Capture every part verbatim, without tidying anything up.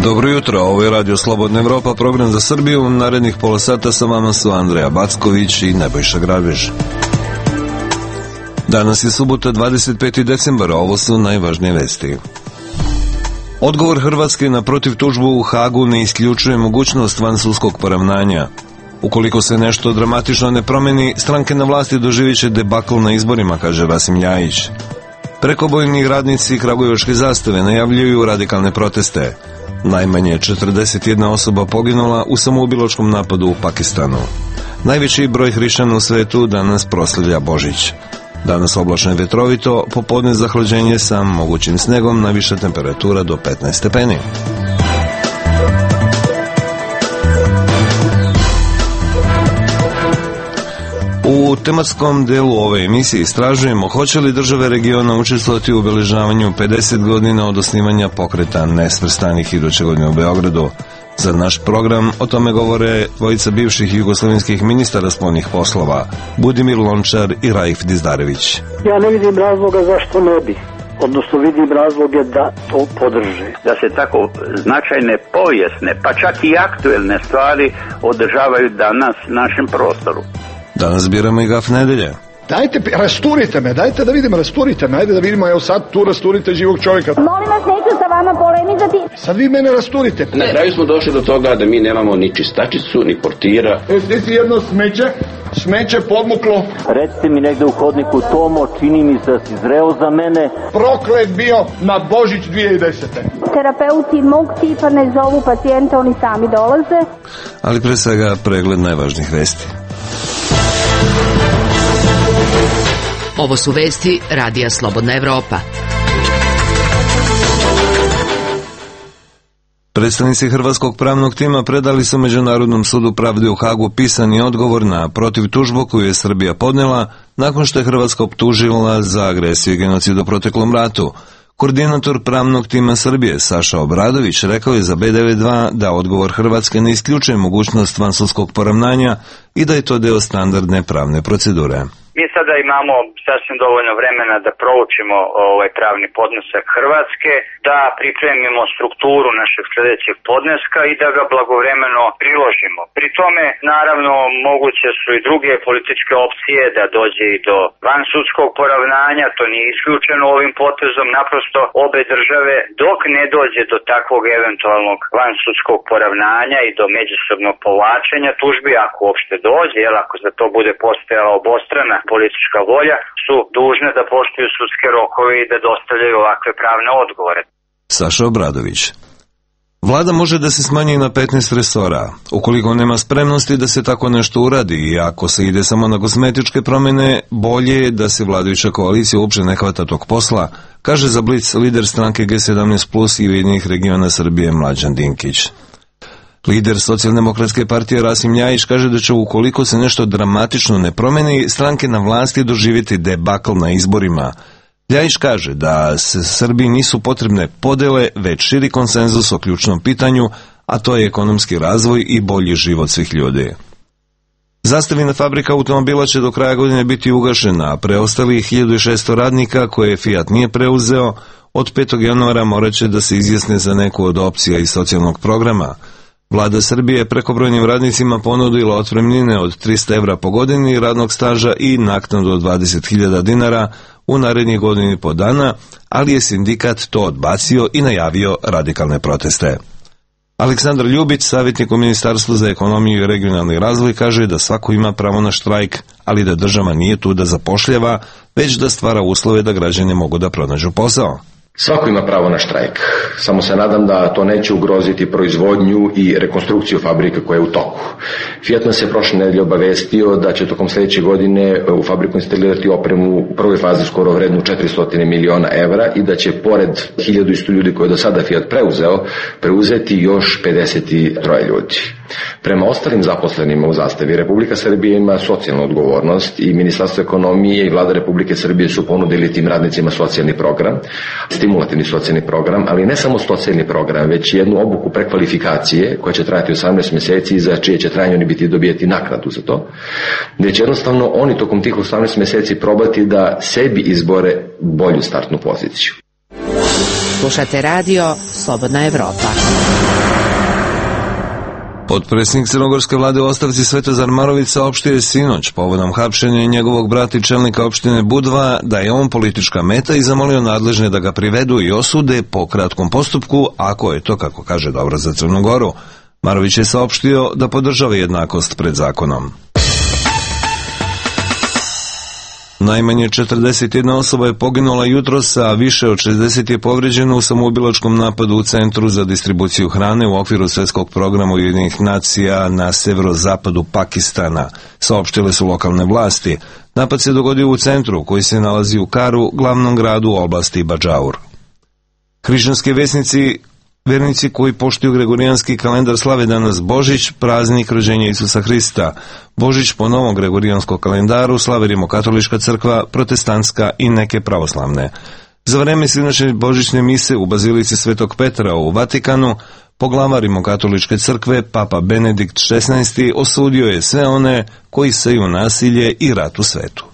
Dobro jutro, ovo je Radio Slobodna Evropa, program za Srbiju. Narednih pola sata sa vama su Andreja Backović i Nebojša Grabež. Danas je subota, dvadeset peti decembar, ovo su najvažnije vesti. Odgovor Hrvatske na protiv tužbu u Hagu ne isključuje mogućnost vansudskog poravnanja. Ukoliko se nešto dramatično ne promeni, stranke na vlasti doživit će debakl na izborima, kaže Rasim Ljajić. Prekobojni radnici kragujevačke zastave najavljuju radikalne proteste. Najmanje četrdeset jedna osoba poginula u samoubilačkom napadu u Pakistanu. Najveći broj hrišćana u svetu danas proslavlja Božić. Danas oblačno i vetrovito, popodne zahlađenje sa mogućim snegom, najviša temperatura do petnaest stepeni. U tematskom delu ove emisije istražujemo hoće li države regiona učestvovati u obeležavanju pedeset godina od osnivanja pokreta nesvrstanih iduće godine u Beogradu. Za naš program o tome govore dvojica bivših jugoslovenskih ministara spoljnih poslova, Budimir Lončar i Raif Dizdarević. Ja ne vidim razloga zašto ne bi. Odnosno vidim razloge da to podrže. Da se tako značajne povijesne, pa čak i aktuelne stvari održavaju danas na našem prostoru. Danas biramo i gaf nedelje. Dajte, rasturite me, dajte da vidimo, rasturite me, ajde da vidimo, evo sad tu rasturite živog čovjeka. Molim vas, neću sa vama polemizati. Sad vi mene rasturite. Na kraju smo došli do toga da mi nemamo ni čistačicu, ni portira. E, stici jedno smeće, smeće podmuklo. Recite mi negde u hodniku, Tomo, čini mi se da si zreo za mene. Proklet bio na Božić dvije hiljade desete. Terapeuti mog tipa ne zovu pacijente, oni sami dolaze. Ali pre svega pregled najvažnijih vesti. Ovo su vesti Radija Slobodna Evropa. Predstavnici hrvatskog pravnog tima predali su Međunarodnom sudu pravde u Hagu pisani odgovor na protiv tužbu koju je Srbija podnela nakon što je Hrvatska optužila za agresiju i genocid u proteklom ratu. Koordinator pravnog tima Srbije, Saša Obradović, rekao je za B devedeset dva da odgovor Hrvatske ne isključuje mogućnost vansudskog poravnanja i da je to deo standardne pravne procedure. Mi sada imamo sasvim dovoljno vremena da proučimo ovaj pravni podnesak Hrvatske, da pripremimo strukturu našeg sljedećeg podneska i da ga blagovremeno priložimo. Pri tome, naravno, moguće su i druge političke opcije da dođe i do vansudskog poravnanja, to nije isključeno ovim potezom, naprosto obe države dok ne dođe do takvog eventualnog vansudskog poravnanja i do međusobnog povlačenja tužbi, ako uopšte dođe, jel, ako za to bude postojala obostrana politička volja, su dužne da poštuju sudske rokove i da dostavljaju ovakve pravne odgovore. Saša Obradović. Vlada može da se smanji na petnaest resora. Ukoliko nema spremnosti da se tako nešto uradi i ako se ide samo na kozmetičke promjene, bolje je da se vladajuća koalicija uopšte ne hvata tog posla, kaže za Blic lider stranke G sedamnaest plus i Ujedinjenih regiona Srbije Mlađan Dinkić. Lider Socijaldemokratske partije Rasim Ljajić kaže da će ukoliko se nešto dramatično ne promeni, stranke na vlasti doživjeti debakl na izborima. Ljajić kaže da se Srbiji nisu potrebne podele, već širi konsenzus o ključnom pitanju, a to je ekonomski razvoj i bolji život svih ljudi. Zastavina fabrika automobila će do kraja godine biti ugašena, a preostalih hiljadu šesto radnika koje Fiat nije preuzeo, od petog januara morat će da se izjasne za neku od opcija iz socijalnog programa. Vlada Srbije prekobrojnim radnicima ponudila otpremnine od trista evra po godini radnog staža i naknadu od dvadeset hiljada dinara u narednih godini po dana, ali je sindikat to odbacio i najavio radikalne proteste. Aleksandar Ljubić, savjetnik u Ministarstvu za ekonomiju i regionalni razvoj, kaže da svako ima pravo na štrajk, ali da država nije tu da zapošljava, već da stvara uslove da građani mogu da pronađu posao. Svako ima pravo na štrajk, samo se nadam da to neće ugroziti proizvodnju i rekonstrukciju fabrika koja je u toku. Fiat nas je prošle nedelje obavestio da će tokom sljedeće godine u fabriku instalirati opremu u prvoj fazi skoro vrednu četiristo miliona evra i da će pored hiljadu i sto ljudi koje je do sada Fiat preuzeo, preuzeti još pedeset tri ljudi. Prema ostalim zaposlenima u Zastavi, Republika Srbija ima socijalnu odgovornost i Ministarstvo ekonomije i Vlada Republike Srbije su ponudili tim radnicima socijalni program, stimulativni socijalni program, ali ne samo socijalni program, već jednu obuku prekvalifikacije koja će trajati osamnaest mjeseci, za čije će trajanje oni biti dobijeti naknadu za to, gdje će jednostavno oni tokom tih osamnaest mjeseci probati da sebi izbore bolju startnu poziciju. Slušate radio Slobodna Evropa. Potpredsjednik crnogorske vlade u ostavci Svetozar Marović saopštio je sinoć povodom hapšenja njegovog brata i čelnika opštine Budva da je on politička meta i zamolio nadležne da ga privedu i osude po kratkom postupku, ako je to, kako kaže, dobro za Crnu Goru. Marović je saopštio da podržava jednakost pred zakonom. Najmanje četrdeset jedna osoba je poginula jutros, a više od šezdeset je povređeno u samoubilačkom napadu u Centru za distribuciju hrane u okviru Svetskog programa Ujedinjenih nacija na severozapadu Pakistana, saopštile su lokalne vlasti. Napad se dogodio u centru koji se nalazi u Karu, glavnom gradu u oblasti Badžaur. Hrišćanski vesnici Vernici koji poštuju gregorijanski kalendar slave danas Božić, praznik rođenja Isusa Hrista. Božić po novom gregorijanskom kalendaru slave Rimokatolička crkva, protestantska i neke pravoslavne. Za vreme sinoćne božićne mise u Bazilici Svetog Petra u Vatikanu, poglavar Rimokatoličke crkve, Papa Benedikt šesnaesti, osudio je sve one koji seju nasilje i rat u svetu.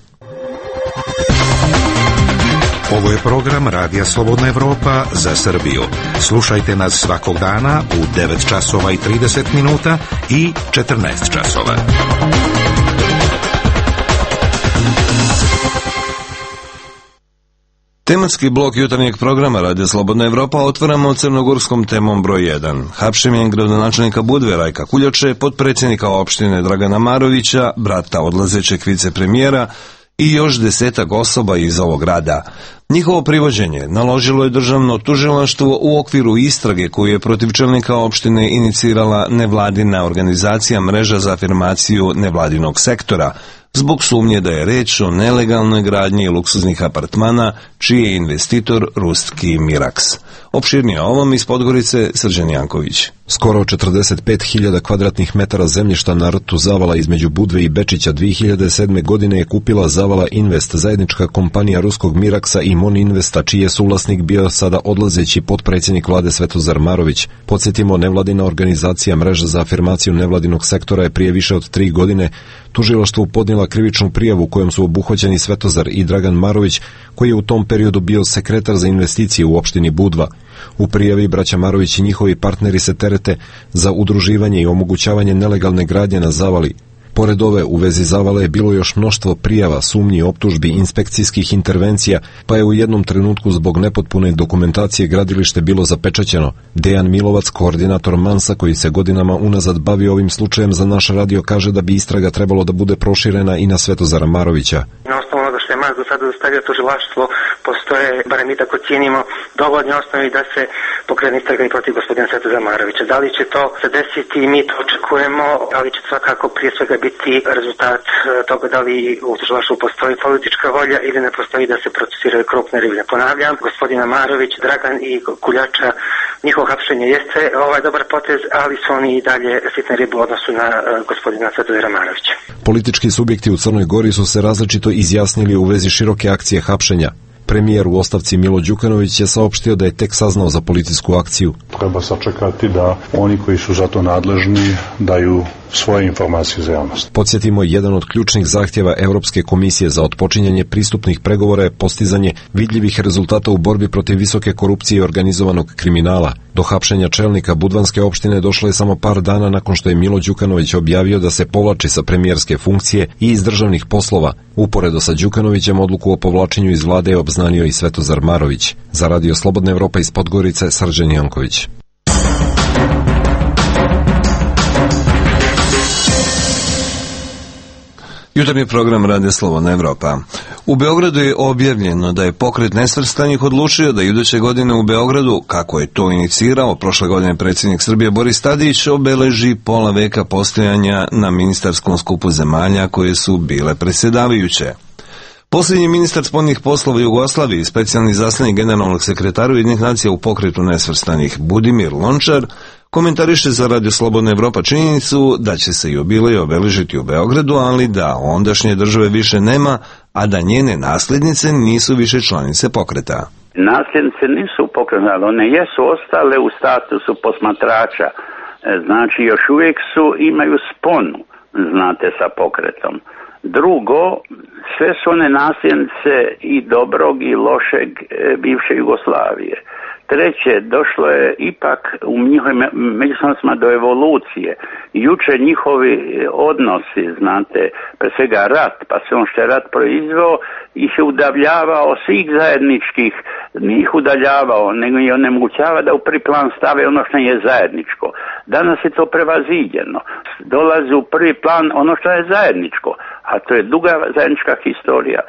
Ovo je program Radija Slobodna Evropa za Srbiju. Slušajte nas svakog dana u devet časova i trideset minuta i četrnaest časova. Tematski blok jutarnjeg programa Radija Slobodna Evropa otvaramo crnogorskom temom broj jedan. Hapšenjem gradonačelnika Budve Rajka Kuljače, potpredsjednika opštine Dragana Marovića, brata odlazećeg vicepremijera i još desetak osoba iz ovog grada. Njihovo privođenje naložilo je državno tužilaštvo u okviru istrage koju je protiv čelnika opštine inicirala nevladina organizacija Mreža za afirmaciju nevladinog sektora, zbog sumnje da je reč o nelegalnoj gradnji luksuznih apartmana, čiji je investitor ruski Miraks. Opširnije o ovom iz Podgorice Srđan Janković. Skoro četrdeset pet hiljada kvadratnih metara zemljišta na rtu Zavala između Budve i Bečića dve hiljade sedme. godine je kupila Zavala Invest, zajednička kompanija ruskog Miraksa i Mon Investa, čiji je suvlasnik bio sada odlazeći potpredsjednik vlade Svetozar Marović. Podsjetimo, nevladina organizacija Mreža za afirmaciju nevladinog sektora je prije više od tri godine tužilaštvu podnijela krivičnu prijavu kojom su obuhvaćeni Svetozar i Dragan Marović, koji je u tom periodu bio sekretar za investicije u opštini Budva. U prijavi braća Marović i njihovi partneri se terete za udruživanje i omogućavanje nelegalne gradnje na Zavali. Pored ove, u vezi Zavale je bilo još mnoštvo prijava, sumnji, optužbi, inspekcijskih intervencija, pa je u jednom trenutku zbog nepotpune dokumentacije gradilište bilo zapečaćeno. Dejan Milovac, koordinator Mansa, koji se godinama unazad bavi ovim slučajem, za naš radio kaže da bi istraga trebalo da bude proširena i na Svetozara Marovića. Na osnovu onoga što je Mans do sada dostavio tužilaštvo, postoje, barem mi tako cijenimo, dovoljne osnovi da se pokrene istraga i protiv gospodina Svetozara Marovića. Da li će to se desiti, mi to očekujemo, ali će svakako prije svega biti rezultat toga da li u tužilaštvu postoji politička volja ili ne postoji da se procesiraju krupne ribe. Ponavljam, gospodina Marović, Dragan i Kuljača, njihovo hapšenje jeste ovaj dobar potez, ali su oni i dalje sitne ribe u odnosu na gospodina Svetozara Marovića. Politički subjekti u Crnoj Gori su se različito izjasnili u vezi široke akcije hapšenja. Premijer u ostavci Milo Đukanović je saopštio da je tek saznao za policijsku akciju. Treba sačekati da oni koji su za to nadležni daju svoje informacije za javnost. Podsjetimo, jedan od ključnih zahtjeva Europske komisije za otpočinjanje pristupnih pregovora je postizanje vidljivih rezultata u borbi protiv visoke korupcije i organizovanog kriminala. Do hapšenja čelnika Budvanske opštine došlo je samo par dana nakon što je Milo Đukanović objavio da se povlači sa premijerske funkcije i iz državnih poslova. Uporedo sa Đukanovićem odluku o povlačenju iz vlade je obznanio i Svetozar Marović. Za Radio Slobodna Evropa iz Podgorice, Srđan Janković. Jutarnji program Radija Slobodna Evropa. U Beogradu je objavljeno da je pokret nesvrstanih odlučio da iduće godine u Beogradu, kako je to inicirao prošle godine predsjednik Srbije Boris Tadić, obeleži pola veka postojanja na ministarskom skupu zemalja koje su bile predsjedavajuće. Posljednji ministar spoljnih poslova Jugoslavije i specijalni izaslanik generalnog sekretara Ujedinjenih nacija u pokretu nesvrstanih Budimir Lončar komentariše za Radio Slobodna Evropa činjenicu da će se jubilej obeležiti u Beogradu, ali da ondašnje države više nema, a da njene nasljednice nisu više članice pokreta. Nasljednice nisu pokretne, ali one jesu ostale u statusu posmatrača. Znači, još uvijek su, imaju sponu, znate, sa pokretom. Drugo, sve su one nasljednice i dobrog i lošeg bivše Jugoslavije. Treće, došlo je ipak u njihovim međusobnostima do evolucije. Juče njihovi odnosi, znate, pre svega rat, pa sve ono što je rat proizveo, ih je udavljavao svih zajedničkih, nije ih udaljavao, nego je onemogućava da u prvi plan stave ono što je zajedničko. Danas je to prevaziđeno. Dolazi u prvi plan ono što je zajedničko, a to je duga zajednička historija.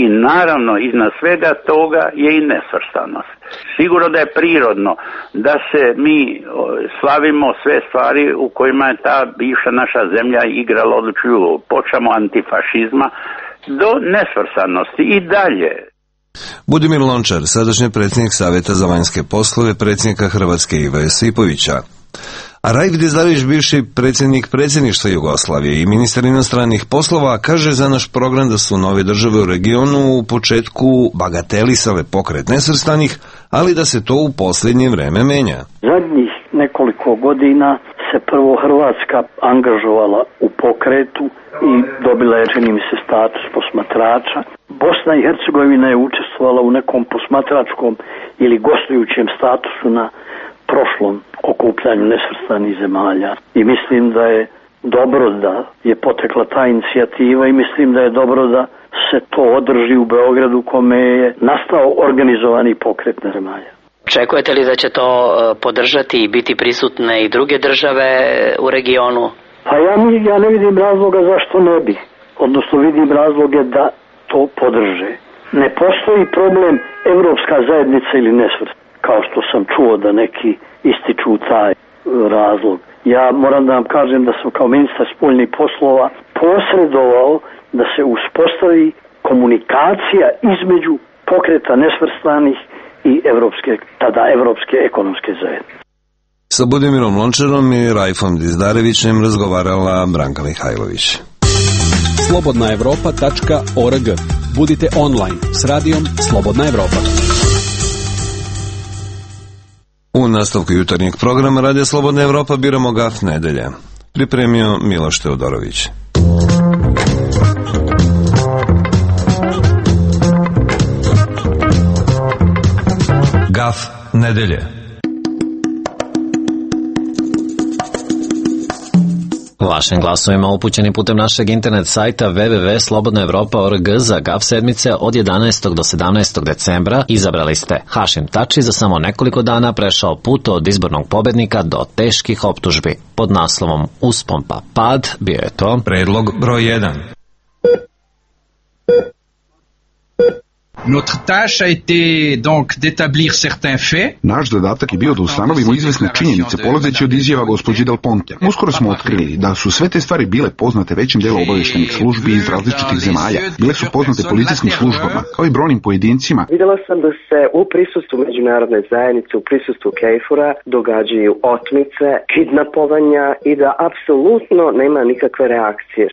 I naravno, iznad svega toga je i nesvrstanost. Sigurno da je prirodno da se mi slavimo sve stvari u kojima je ta bivša naša zemlja igrala odlučuju, počamo antifašizma do nesvrstanosti i dalje. Budimir Lončar, sadašnji predsjednik Savjeta za vanjske poslove, predsjednika Hrvatske Iva Josipovića. A Raif Dizdarević, bivši predsjednik predsjedništva Jugoslavije i ministar inostranih poslova, kaže za naš program da su nove države u regionu u početku bagatelisale pokret nesvrstanih, ali da se to u posljednje vreme menja. Zadnjih nekoliko godina se prvo Hrvatska angažovala u pokretu i dobila je, čini mi se, status posmatrača. Bosna i Hercegovina je učestvovala u nekom posmatračkom ili gostujućem statusu na prošlom okupljanju nesvrstanih zemalja. I mislim da je dobro da je potekla ta inicijativa i mislim da je dobro da se to održi u Beogradu kome je nastao organizovani pokret zemalja. Očekujete li da će to podržati i biti prisutne i druge države u regionu? Pa ja, ja ne vidim razloga zašto ne bi. Odnosno vidim razloge da to podrže. Ne postoji problem evropska zajednica ili nesvrstanih, kao što sam čuo da neki ističu taj razlog. Ja moram da vam kažem da sam kao ministar spoljnih poslova posredovao da se uspostavi komunikacija između pokreta nesvrstanih i evropske, tada evropske ekonomske zajednice. Sa Budimirom Lončarom i Raifom Dizdarevićem razgovarala Branka Mihajlović. slobodna evropa tačka org. Budite online s radijom Slobodna Evropa. U nastavku jutarnjeg programa Radija Slobodna Evropa biramo gaf nedelje. Pripremio Miloš Teodorović. Gaf nedelje. Vašim glasovima upućeni putem našeg internet sajta w w w tačka slobodna evropa tačka org za gaf sedmice od jedanaestog do sedamnaestog decembra izabrali ste Hašim Tači, za samo nekoliko dana prešao put od izbornog pobednika do teških optužbi. Pod naslovom Uspon pa pad bio je to predlog broj jedan. Notre tâche a été donc d'établir certains faits. Naš zadatak je bio da ustanovimo izvesne činjenice polazeći od izjava gospođe Del Ponte. Uskoro smo otkrili da su sve te stvari bile poznate većim delu obavještajnih službi iz različitih zemalja. Bile su poznate policijskim službama, kao i brojnim pojedincima. Videla sam da se u prisustvu međunarodne zajednice, u prisustvu Kejfura događaju otmice, kidnapovanja i da apsolutno nema nikakve reakcije.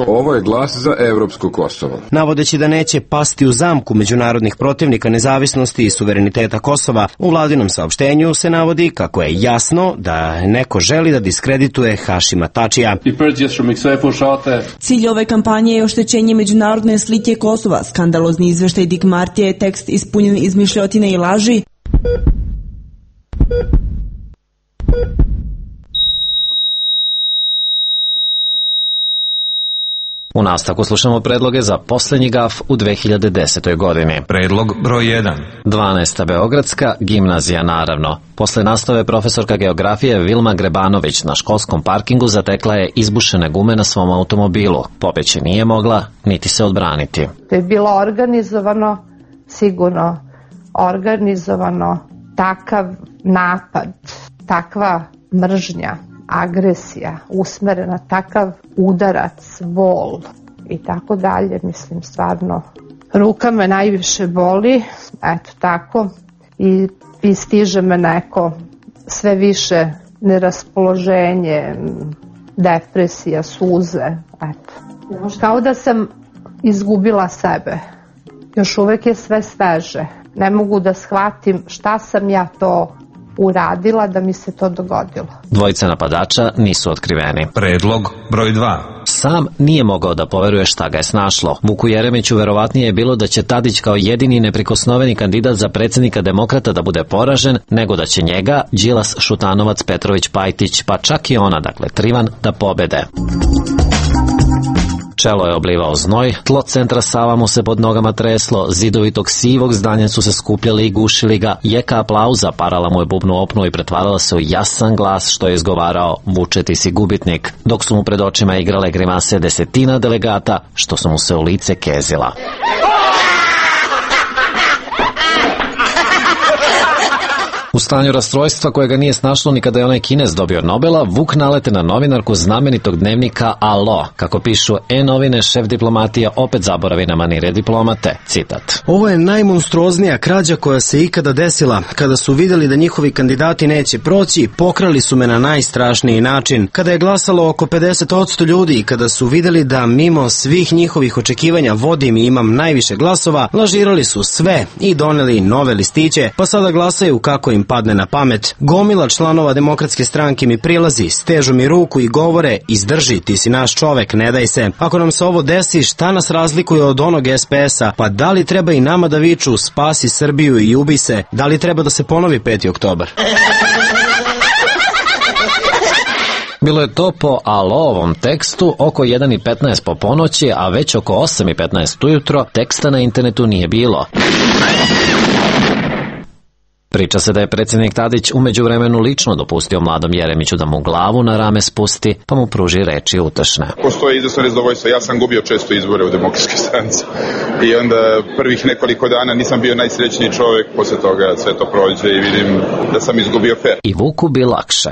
Ovo je glas za evropsko Kosovo. Navodeći da neće pasti u zamku međunarodnih protivnika nezavisnosti i suvereniteta Kosova, u vladinom saopštenju se navodi kako je jasno da neko želi da diskredituje Hašima Tačija. Cilj ove kampanje je oštećenje međunarodne slike Kosova. Skandalozni izveštaj Dick Martija je tekst ispunjen izmišljotine i laži. U nastavku slušamo predloge za posljednji gaf u dve hiljade desetoj godini. Predlog broj jedan. dvanaesta Beogradska gimnazija, naravno. Posle nastave profesorka geografije Vilma Grebanović na školskom parkingu zatekla je izbušene gume na svom automobilu. Pobeći nije mogla, niti se odbraniti. To je bilo organizovano, sigurno organizovano, takav napad, takva mržnja, agresija, usmerena, takav udarac, bol i tako dalje, mislim stvarno. Ruka me najviše boli, eto tako, i, i stiže me neko sve više neraspoloženje, depresija, suze, eto. Kao da sam izgubila sebe, još uvek je sve sveže, ne mogu da shvatim šta sam ja to uradila da mi se to dogodilo. Dvojica napadača nisu otkriveni. Predlog broj dva. Sam nije mogao da poveruje šta ga je snašlo. Vuku Jeremiću verovatnije je bilo da će Tadić kao jedini neprikosnoveni kandidat za predsjednika Demokrata da bude poražen, nego da će njega Đilas, Šutanovac, Petrović, Pajtić, pa čak i ona, dakle Trivan, da pobede. Čelo je oblivao znoj, tlo centra Sava mu se pod nogama treslo, zidovi tog sivog zdanja su se skupljali i gušili ga, jeka aplauza parala mu je bubnu opnu i pretvarala se u jasan glas što je izgovarao Vuče ti si gubitnik, dok su mu pred očima igrale grimase desetina delegata što su mu se u lice kezila. U stanju rastrojstva kojega nije snašlo ni kada je onaj Kinez dobio Nobela, Vuk nalete na novinarku znamenitog dnevnika Alo. Kako pišu E-novine, šef diplomatija opet zaboravi na manire diplomate. Citat. Ovo je najmonstruoznija krađa koja se ikada desila. Kada su vidjeli da njihovi kandidati neće proći, pokrali su me na najstrašniji način. Kada je glasalo oko pedeset posto ljudi i kada su vidjeli da mimo svih njihovih očekivanja vodim i imam najviše glasova, lažirali su sve i doneli nove listiće, pa sada glasaju kako im padne na pamet. Gomila članova Demokratske stranke mi prilazi, stežu mi ruku i govore: izdrži, ti si naš čovek, ne daj se. Ako nam se ovo desi, šta nas razlikuje od onog es pe es-a? Pa da li treba i nama da viču spasi Srbiju i ubi se? Da li treba da se ponovi peti oktobar? Bilo je to po Alovom tekstu oko jedan i petnaest po ponoći, a već oko osam i petnaest ujutro teksta na internetu nije bilo. Priča se da je predsjednik Tadić u međuvremenu lično dopustio mladom Jeremiću da mu glavu na rame spusti, pa mu pruži reči utešne. Postoji izvesno nezadovoljstvo. Ja sam gubio često izbore u Demokratskoj stranci. I onda prvih nekoliko dana nisam bio najsrećniji čovjek, posle toga sve to prođe i vidim da sam izgubio fer. I Vuku bi lakše.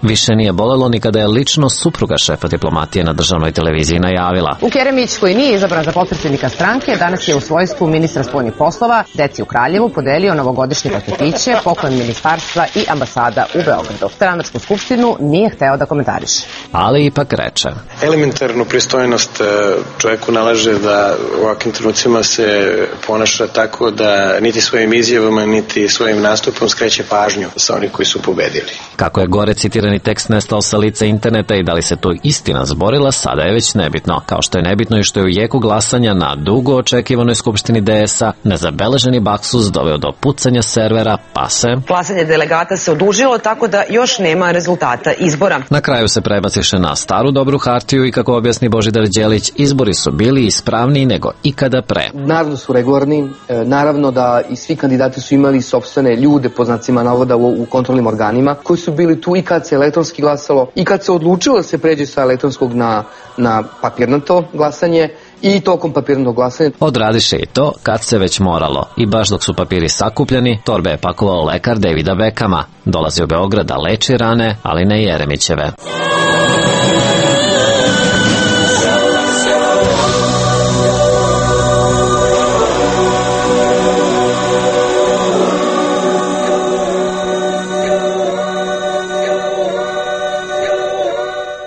Više nije bolelo ni kada je lično supruga šefa diplomatije na državnoj televiziji najavila. Vuk Jeremić, koji nije izabran za potpredsjednika stranke, danas je u svojstvu ministra spoljnih poslova deci u Kraljevu podelio novogodišnje paketiće, poklon ministarstva i ambasada u Beogradu. Stranačku skupštinu nije hteo da komentariše. Ali ipak reče. Elementarnu pristojnost čovjeku nalaže da u ovakvim trenucima se ponaša tako da niti svojim izjavama, niti svojim nastupom skreće pažnju sa onih koji su pobedili. Kako je gore citirani tekst nestao sa lica interneta i da li se to istina zborila, sada je već nebitno. Kao što je nebitno i što je u jeku glasanja na dugo očekivanoj skupštini de es-a nezabeleženi baksus doveo do pucanja servera, pa se... Glasanje delegata se odužilo, tako da još nema rezultata izbora. Na kraju se prebaciše na staru dobru hartiju i kako objasni Božidar Đelić, izbori su bili ispravniji nego ikada pre. Naravno su regularni, naravno da i svi kandidati su imali sopstvene ljude, po znacima navoda, u, u kontrolnim organima, koji su bili tu i kad se elektronski glasalo i kad se odlučilo da se pređe sa elektronskog na, na papirnato glasanje i tokom papirnog glasanja. Odradiše i to kad se već moralo. I baš dok su papiri sakupljeni, torbe je pakovao lekar Davida Beckhama. Dolazi u Beograd da leči rane, ali ne Jeremićeve.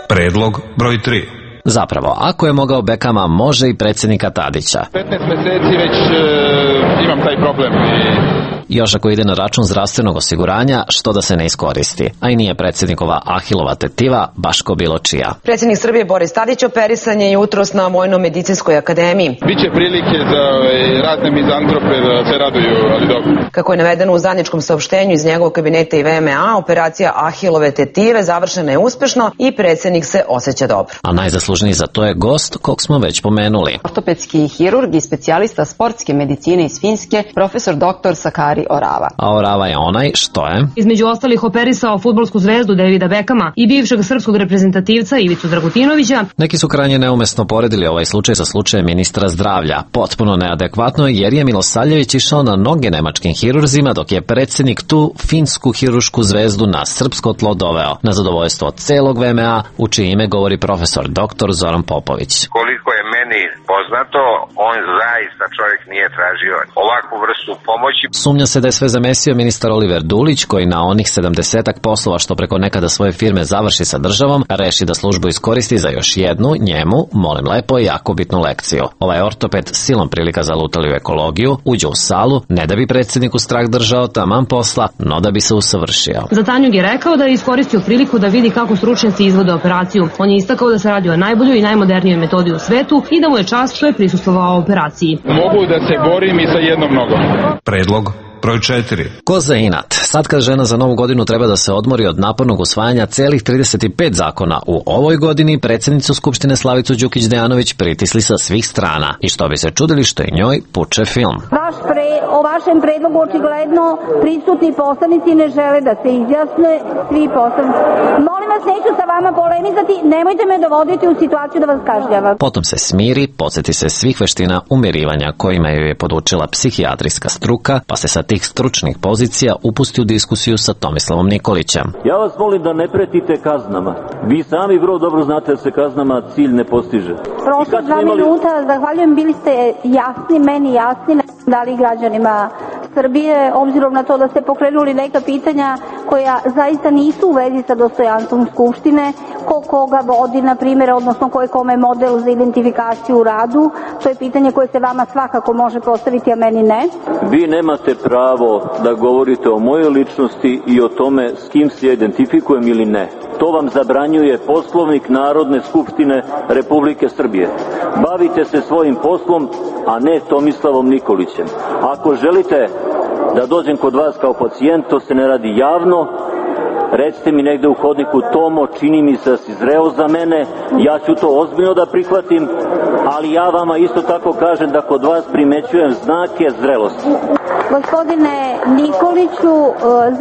Predlog broj tri. Zapravo, ako je mogao Beckhama, može i predsjednika Tadića. petnaest meseci već e, imam taj problem i... Još ako ide na račun zdravstvenog osiguranja, što da se ne iskoristi. A i nije predsjednikova Ahilova tetiva baš ko bilo čija. Predsjednik Srbije Boris Tadić operisan je jutros na Vojno-medicinskoj akademiji. Biće prilike za razne mizantrope da se raduju, ali dobro. Kako je navedeno u zajedničkom saopštenju iz njegovog kabineta i ve em a, operacija Ahilove tetive završena je uspešno i predsjednik se osjeća dobro. A najzaslužniji za to je gost kog smo već pomenuli. Ortopedski hirurg i specijalista sportske medicine iz Finske, profesor doktor Sakari Orava. A Orava je onaj što je... Između ostalih operisao fudbalsku zvezdu Davida Beckhama i bivšeg srpskog reprezentativca Ivicu Dragutinovića. Neki su krajnje neumesno poredili ovaj slučaj sa slučajem ministra zdravlja. Potpuno neadekvatno jer je Milosavljević išao na noge nemačkim hirurzima dok je predsjednik tu finsku hirušku zvezdu na srpsko tlo doveo. Na zadovoljstvo celog ve em a, u čije ime govori profesor doktor Zoran Popović. Koliko je meni poznato, on zaista čovjek nije tražio ovakvu vrstu pomoći. Sumnja se da je sve zamesio ministar Oliver Dulić, koji na onih sedamdesetak poslova što preko nekada svoje firme završi sa državom, reši da službu iskoristi za još jednu, njemu, molim lepo, jako bitnu lekciju. Ovaj ortoped silom prilika zalutali u ekologiju, uđe u salu, ne da bi predsjedniku strah držao taman posla, no da bi se usavršio. Za Tanjug je rekao da je iskoristio priliku da vidi kako stručnjaci izvode operaciju. On je istakao da se radi o najboljoj i najmodernijoj metodi u svetu i da mu je čast što je prisustvovao operaciji. Mogu da se borim i sa jednom nogom. Predlog broj četiri. Ko za inat? Sad kad žena za novu godinu treba da se odmori od napornog usvajanja celih trideset pet zakona u ovoj godini, predsjednicu Skupštine Slavicu Đukić Dejanović pritisli sa svih strana. I što bi se čudili što i njoj puče film. Vaš pre, o vašem predlogu očigledno prisutni poslanici ne žele da se izjasne, svi poslanici. Molim vas, neću sa vama polemizati, nemojte me dovoditi u situaciju da vas kažnjavam. Potom se smiri, podsjeti se svih veština umirivanja kojima ju je podučila psihijatrijska struka, pa se sa tih stručnih pozicija upusti u diskusiju sa Tomislavom Nikolićem. Ja vas molim da ne pretite kaznama. Vi sami vrlo dobro znate da se kaznama cilj ne postiže. Prošlo dva imali... minuta, zahvaljujem, bili ste jasni, meni jasni, dali građanima Srbije, obzirom na to da ste pokrenuli neka pitanja koja zaista nisu u vezi sa dostojanstvom Skupštine, ko koga vodi, na primjer, odnosno ko je kome model za identifikaciju u radu. To je pitanje koje se vama svakako može postaviti, a meni ne. Vi nemate pravo da govorite o mojoj ličnosti i o tome s kim se identifikujem ili ne. To vam zabranjuje Poslovnik Narodne skupštine Republike Srbije. Bavite se svojim poslom, a ne Tomislavom Nikolićem. Ako želite da dođem kod vas kao pacijent, to se ne radi javno. Recite mi negde u hodniku: Tomo, čini mi se da si zreo za mene, ja ću to ozbiljno da prihvatim, ali ja vama isto tako kažem da kod vas primećujem znake zrelosti. Gospodine Nikoliću,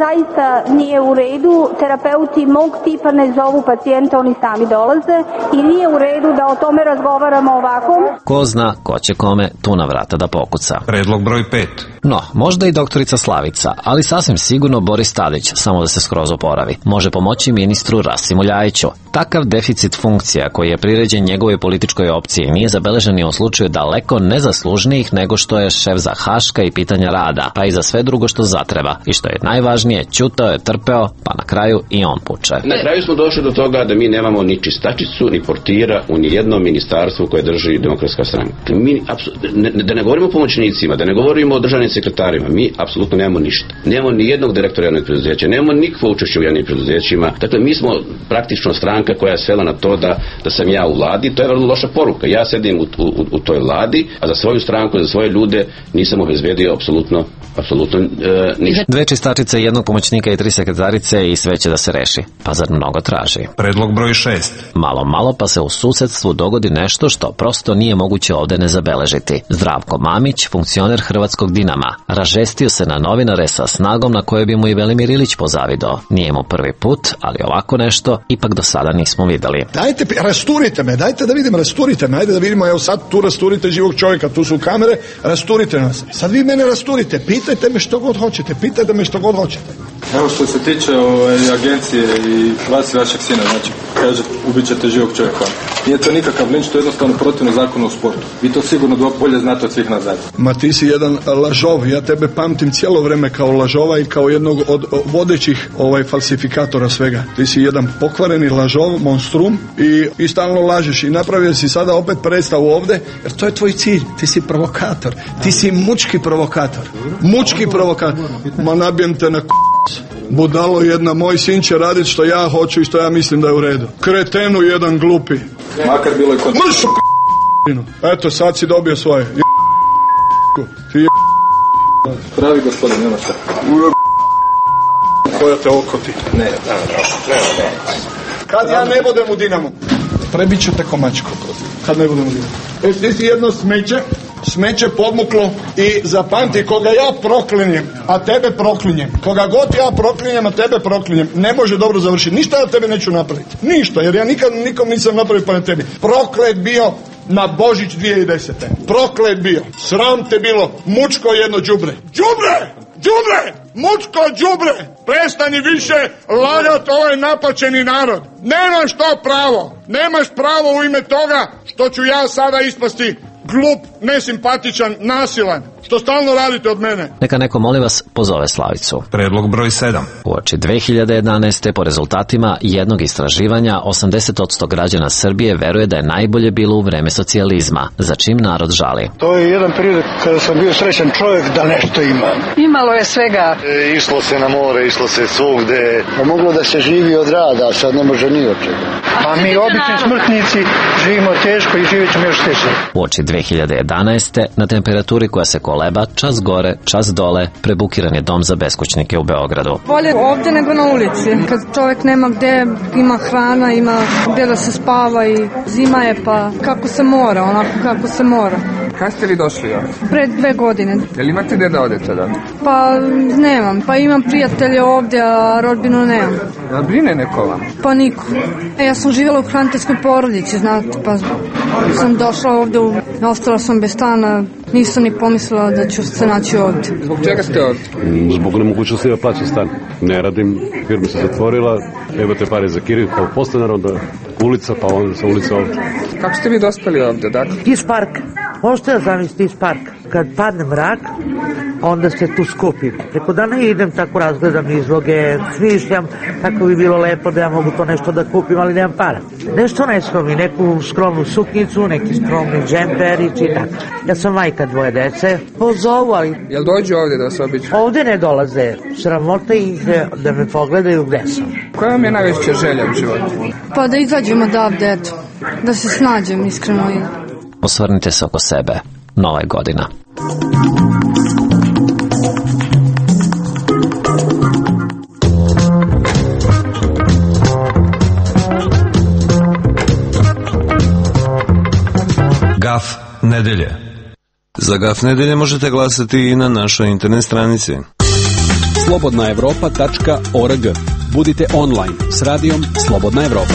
zaista nije u redu, terapeuti mog tipa ne zovu pacijenta, oni sami dolaze i nije u redu da o tome razgovaramo ovako. Ko zna ko će kome tu na vrata da pokuca. Predlog broj pet. No, možda i doktorica Slavica, ali sasvim sigurno Boris Tadić, samo da se skroz oporavi. Može pomoći ministru Rasimu Ljajiću. Takav deficit funkcija koji je priređen njegovoj političkoj opciji nije zabeležen ni u slučaju daleko nezaslužnijih nego što je šef za Haška i pitanja rada, pa i za sve drugo što zatreba. I što je najvažnije, ćutao je, trpeo, pa na kraju i on puče. Na kraju smo došli do toga da mi nemamo ni čistačicu, ni portira u nijednom ministarstvu koje drži Demokratska stranka. Mi, ne, da ne govorimo o pomoćnicima, da ne govorimo o državnim sekretarima, mi apsolutno nemamo ništa. Nemamo ni jednog direktora jednog preduzeća, nemamo nikakvo učešće u jednim preduzećima. Dakle, mi smo praktično stranka koja je svela na to da, da sam ja u vladi. To je vrlo loša poruka. Ja sedim u, u, u toj vladi, a za svoju stranku, za svoje ljude nisam obezbedio apsolutno apsolutno e, ništa. Dve čistačice, jednog pomoćnika i tri sekretarice i sve će da se reši. Pa zar mnogo traži? Predlog broj šest. Malo, malo pa se u susedstvu dogodi nešto što prosto nije moguće ovde ne zabeležiti. Zdravko Mamić, funkcioner Hrvatskog Dinama, ražestio se na novinare sa snagom na kojoj bi mu i Velimir Ilić pozavidao. Nije mu prvi put, ali ovako nešto ipak do sada nismo videli. Dajte, rasturite me, dajte da vidim, rasturite me, ajde da vidimo, evo sad tu rasturite živog čovjeka, tu su kamere, rasturite nas. Sad vi mene rasturite, pitajte me što god hoćete, pitajte me što god hoćete. Evo što se tiče ovaj, agencije i vas i vašeg sina, znači, kaže, ubit ćete živog čovjeka. Nije to nikakav linč, to je jednostavno protivno zakonu o sportu. Vi to sigurno dva bolje znate od svih nas zajedno. Ma ti si jedan lažov, ja tebe pamtim cijelo vreme kao lažova i kao jednog od vodećih ovaj falsifikatora svega. Ti si jedan pokvareni lažov, monstrum i, i stalno lažeš i napravio si sada opet predstavu ovde, jer to je tvoj cilj, ti si provokator, ti si mučki provokator, mučki provokator. Ma nabijem te na k***. Budalo jedna, moj sin će raditi što ja hoću i što ja mislim da je u redu. Kretenu jedan glupi. Makar bilo je kod... Mršu k***inu. Eto, sad si dobio svoje. Je ti je... Pravi gospodin, nema šta. Koja te okoti. Ne, ne, ne, ne. Kad ja ne budem u Dinamu, prebit ću te komačko. Kad ne budem u Dinamu. E, ti si jedno smeće, smeće podmuklo i zapamti, koga ja proklinjem, a tebe proklinjem, koga god ja proklinjem, a tebe proklinjem, ne može dobro završiti. Ništa ja tebe neću napraviti. Ništa, jer ja nikad nikom nisam napravio pa na tebi. Proklet bio na Božić dvije tisuće desete. Proklet bio. Sram te bilo. Mučko jedno đubre. Đubre! Đubre! Mučko đubre! Prestani više lagati ovaj napačeni narod. Nemaš to pravo. Nemaš pravo u ime toga što ću ja sada ispasti glup, nesimpatičan, nasilan, što stalno radite od mene. Neka neko, molim vas, pozove Slavicu. Predlog broj sedam. Uoči dve hiljade jedanaeste. po rezultatima jednog istraživanja, osamdeset posto građana Srbije veruje da je najbolje bilo u vreme socijalizma, za čim narod žali. To je jedan period kada sam bio srećan čovjek da nešto imam. Imalo je svega. E, išlo se na more, išlo se svugde. Pa moglo da se živi od rada, a sad ne može ni od čega. A mi obični smrtnici živimo teško i živjet ćemo još teže. Uoči dve hiljade jedanaeste. na temperaturi koja se koleba, čas gore, čas dole, prebukiran je dom za beskućnike u Beogradu. Bolje ovdje nego na ulici. Kad čovjek nema gde, ima hrana, ima gde da se spava i zima je pa kako se mora, onako kako se mora. Kad ste vi došli ovdje? Pred dve godine. Jel imate gde da odete da? Pa nemam, pa imam prijatelje ovdje, a rodbinu nemam. Jel brine neko vam? Pa niko. E, ja sam živjela u hraniteljskoj porodici, znate, pa sam došla ovdje, u... ostala sam bez stana, nisam ni pomislila da ću se naći ovdje. Zbog čega ste ovdje? Zbog nemogućnosti da plaćam stan. Ne radim, firma se zatvorila, imate pare za kiriju, kao postanar, onda ulica, pa onda sa ulica ovdje. Kako ste vi dospeli ovdje, dakle? Iz parka. Možete da zamislite iz parka. Kad padne mrak, onda se tu skupim. Preko dana idem, tako razgledam izloge, smišljam kako bi bilo lepo da ja mogu to nešto da kupim, ali nemam para. Nešto neskromni, neku skromnu suknicu, neki skromni džemperić i tako. Ja sam majka dvoje dece, pozovu, ali... Jel dođu ovdje da se obiđu? Ovdje ne dolaze, sramota ih da me pogledaju gde sam. Koja vam je najveća želja u životu? Pa da izađem odavde, eto, da se snađem iskreno. Osvrnite se oko sebe. Nova je godina. Gaf nedelje. Za Gaf nedelje možete glasati i na našoj internet stranici. slobodna evropa tačka org. Budite online s radijom Slobodna Evropa.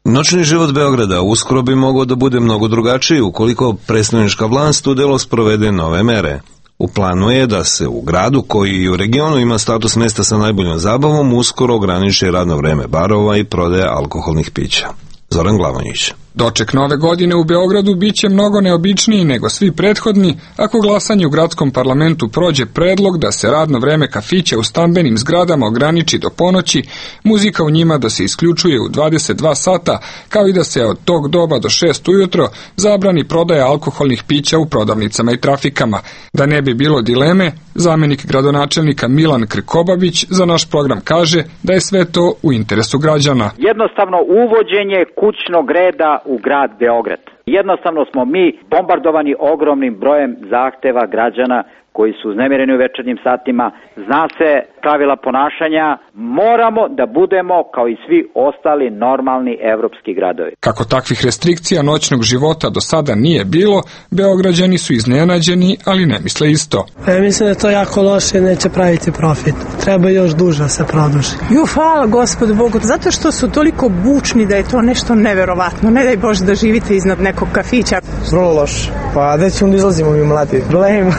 Noćni život Beograda uskoro bi mogao da bude mnogo drugačiji ukoliko predstavnička vlast u delo sprovede nove mere. U planu je da se u gradu koji i u regionu ima status mesta sa najboljom zabavom uskoro ograniči radno vreme barova i prodaja alkoholnih pića. Zoran Glavonjić. Doček nove godine u Beogradu biće mnogo neobičniji nego svi prethodni ako glasanje u gradskom parlamentu prođe predlog da se radno vreme kafića u stambenim zgradama ograniči do ponoći, muzika u njima da se isključuje u dvadeset dva sata, kao i da se od tog doba do šest ujutro zabrani prodaja alkoholnih pića u prodavnicama i trafikama. Da ne bi bilo dileme, zamenik gradonačelnika Milan Krkobabić za naš program kaže da je sve to u interesu građana. Jednostavno uvođenje kućnog reda u grad Beograd. Jednostavno smo mi bombardovani ogromnim brojem zahteva građana koji su uznemireni u večernjim satima. Zna se pravila ponašanja, moramo da budemo kao i svi ostali normalni evropski gradovi. Kako takvih restrikcija noćnog života do sada nije bilo, Beograđani su iznenađeni, ali ne misle isto. Ja mislim da je to jako loše i neće praviti profit. Treba još duže se produži. Ju, hvala Gospodu Bogu, zato što su toliko bučni da je to nešto neverovatno. Ne daj Bože da živite iznad nekog kafića. Vrlo loše. Pa gde ćemo da izlazimo mi mladi? Blejmo.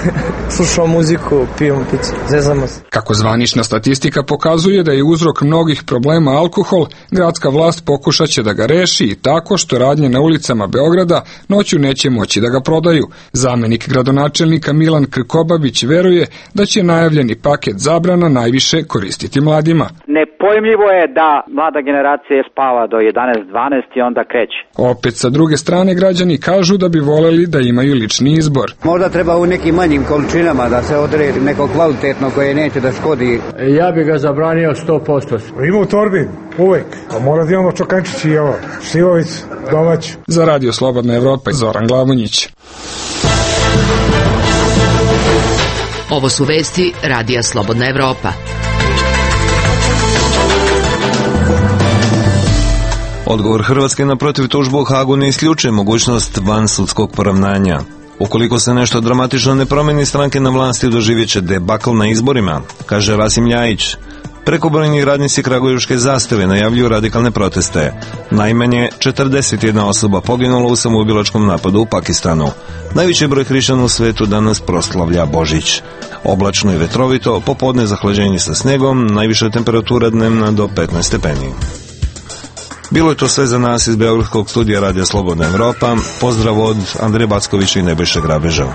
Slušamo muziku, pijemo picu, zezamo se. Kako zvanična statistika pokazuje da je uzrok mnogih problema alkohol, gradska vlast pokušat će da ga reši i tako što radnje na ulicama Beograda noću neće moći da ga prodaju. Zamenik gradonačelnika Milan Krkobabić veruje da će najavljeni paket zabrana najviše koristiti mladima. Nepojmljivo je da mlada generacija spava do jedanaest dvanaest i onda kreće. Opet sa druge strane građani kažu da bi voleli da imaju lični izbor. Možda treba u nekim manjim količinama da se odredi neko kvalitetno koje neće da škodi. Ja bi ga zabranio sto posto. Ima u torbi, uvek. A mora da imamo čokančići i ovo, šljivovicu, domaću. Za Radio Slobodna Evropa, Zoran Glavonjić. Ovo su vesti Radija Slobodna Evropa. Odgovor Hrvatske na protiv tužbu u Hagu ne isključuje mogućnost vansudskog poravnanja. Ukoliko se nešto dramatično ne promeni, stranke na vlasti doživjet će debakl na izborima, kaže Rasim Ljajić. Prekobrojni radnici Kragujevačke Zastave najavljuju radikalne proteste. Najmanje četrdeset jedna osoba poginulo u samoubilačkom napadu u Pakistanu. Najveći broj hrišćana u svetu danas proslavlja Božić. Oblačno i vetrovito, popodne zahlađenje sa snegom, najviša temperatura dnevna do petnaest stepeni. Bilo je to sve za nas iz Beogradskog studija Radija Slobodna Evropa. Pozdrav od Andreja Backovića i Nebojše Grabeža.